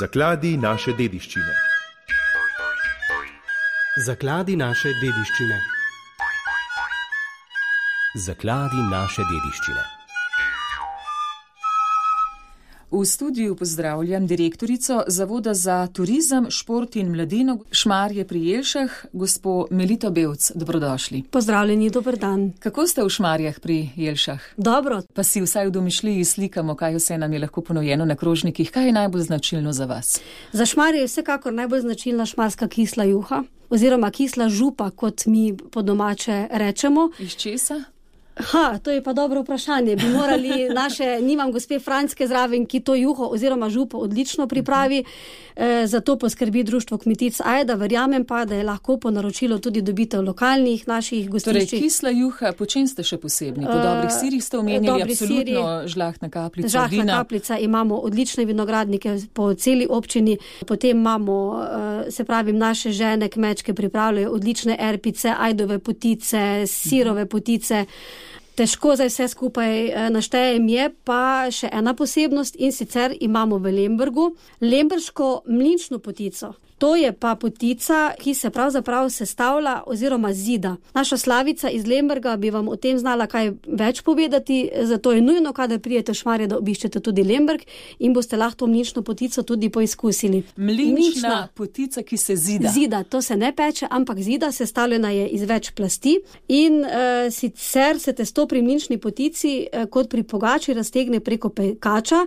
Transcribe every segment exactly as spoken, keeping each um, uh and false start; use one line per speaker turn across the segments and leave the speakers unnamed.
Zakladi naše dediščine.
Zakladi naše dediščine. Zakladi naše dediščine.
V studiu pozdravljam direktorico Zavoda za turizem, šport in mladino Šmarje pri Jelšah, gospo Melito Bevc. Dobrodošli.
Pozdravljeni, dober dan.
Kako ste v Šmarjah pri Jelšah?
Dobro.
Pa si vsaj v domišljiji slikamo, kaj vse nam je lahko ponujeno na krožnikih. Kaj je najbolj značilno za vas?
Za Šmarje je vsekakor najbolj značilna šmarska kisla juha, oziroma kisla župa, kot mi po domače rečemo.
Iz česa?
Ha, to je pa dobro vprašanje. Bi morali naše, nimam gospe Franske zraven, ki to juho oziroma župo odlično pripravi, e, zato poskrbi društvo Kmetic Ajda. Verjamem pa, da je lahko po naročilu tudi dobite v lokalnih naših gostiščih.
Torej, kisla juha, po čem ste še posebni? Po dobrih sirih ste omenjali, absolutno žlahtna kaplica,
žlahtna
vina.
Žlahtna kaplica, imamo odlične vinogradnike po celi občini, potem imamo, se pravim, naše žene kmečke pripravljajo odlične erpice, ajdove potice, sirove potice. Težko zdaj vse skupaj naštejem, je pa še ena posebnost in sicer imamo v Lembergu lemberško mlinčno potico. To je pa potica, ki se pravzaprav sestavlja oziroma zida. Naša Slavica iz Lemberga bi vam o tem znala kaj več povedati, zato je nujno, kadar prijete v Šmarje, da obiščete tudi Lemberg in boste lahko mlinčno potico tudi poizkusili.
Mlinčna, Mlinčna potica, ki se zida.
Zida, to se ne peče, ampak zida, sestavljena je iz več plasti in uh, sicer se testo pri mlinčni potici uh, kot pri pogači raztegne preko pekača,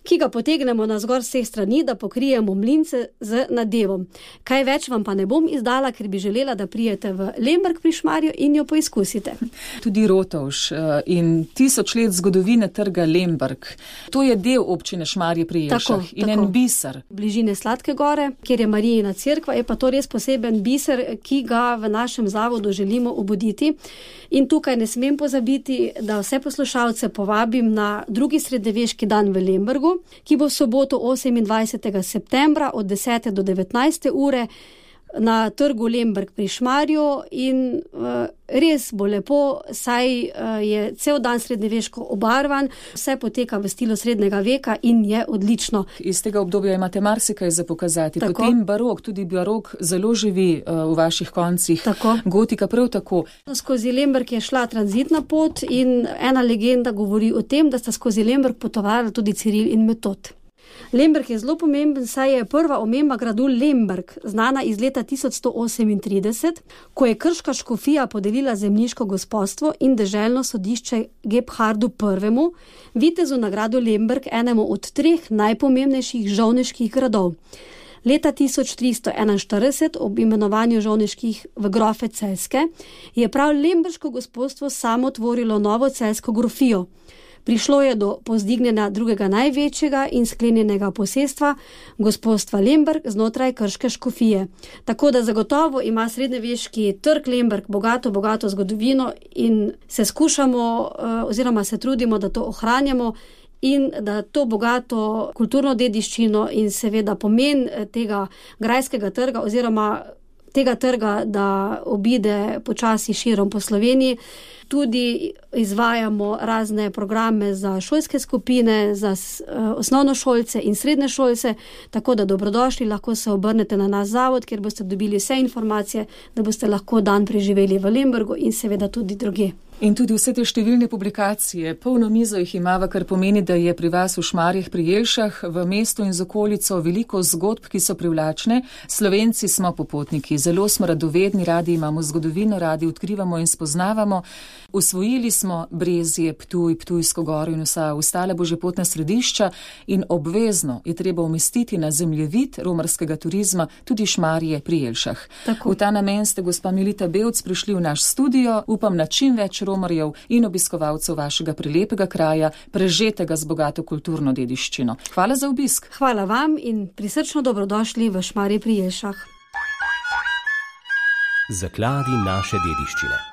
ki ga potegnemo na zgor vseh strani, da pokrijemo mlince z nadevom. Kaj več vam pa ne bom izdala, ker bi želela, da prijete v Lemberg pri Šmarju in jo poizkusite.
Tudi Rotovž in tisoč let zgodovine trga Lemberg. To je del občine Šmarje pri Jelšah in tako. En biser.
Bližine Sladke gore, kjer je Marijina cerkva, je pa to res poseben biser, ki ga v našem zavodu želimo obuditi. In tukaj ne smem pozabiti, da vse poslušalce povabim na drugi srednjeveški dan v Lembergu, ki bo v soboto osemindvajsetega septembra od desete do devetnajste ure na trgu Lemberg pri Šmarju in uh, res bo lepo, saj uh, je cel dan srednjeveško obarvan, vse poteka v stilu srednjega veka in je odlično.
Iz tega obdobja imate marsikaj za pokazati. Tako. Potem barok, tudi barok zelo živi uh, v vaših koncih. Tako. Gotika prav tako.
Skozi Lemberg je šla tranzitna pot in ena legenda govori o tem, da sta skozi Lemberg potovali tudi Ciril in Metod. Lemberg je zelo pomemben, saj je prva omemba gradu Lemberg, znana iz leta tisoč sto osemintrideset, ko je krška škofija podelila zemljiško gospodstvo in deželno sodišče Gebhardu prvemu, vitezu na gradu Lemberg, enemu od treh najpomembnejših žovneških gradov. Leta tisoč tristo enainštirideset, ob imenovanju žovneških v grofe Celjske, je prav lemberško gospodstvo samo tvorilo novo celjsko grofijo. Prišlo je do povzdignjenja drugega največjega in sklenjenega posestva gospodstva Lemberg znotraj krške škofije. Tako da zagotovo ima srednjeveški trg Lemberg bogato, bogato zgodovino in se skušamo oziroma se trudimo, da to ohranjamo in da to bogato kulturno dediščino in seveda pomen tega grajskega trga oziroma tega trga, da obide počasi širom po Sloveniji. Tudi izvajamo razne programe za šolske skupine, za uh, osnovnošolce in srednješolce, tako da dobrodošli, lahko se obrnete na naš zavod, kjer boste dobili vse informacije, da boste lahko dan preživeli v Lembergu in seveda tudi drugje.
In tudi vse te številne publikacije, polno mizo jih imava, kar pomeni, da je pri vas v Šmarjah pri Jelšah, v mestu in z okolico veliko zgodb, ki so privlačne. Slovenci smo popotniki, zelo smo radovedni, radi imamo zgodovino, radi odkrivamo in spoznavamo. Usvojili smo Brezje, Ptuj, Ptujsko goro in vsa ostala božjepotna središča in obvezno je treba umestiti na zemljevid romarskega turizma tudi Šmarje pri Jelšah. Tako. V ta namen ste, gospa Melita Bevc, prišli v naš studio, upam na čim več romarjev in obiskovalcev vašega prelepega kraja, prežetega z bogato kulturno dediščino. Hvala za obisk.
Hvala vam in prisrčno dobrodošli v Šmarje pri Jelšah.
Zakladi naše dediščine.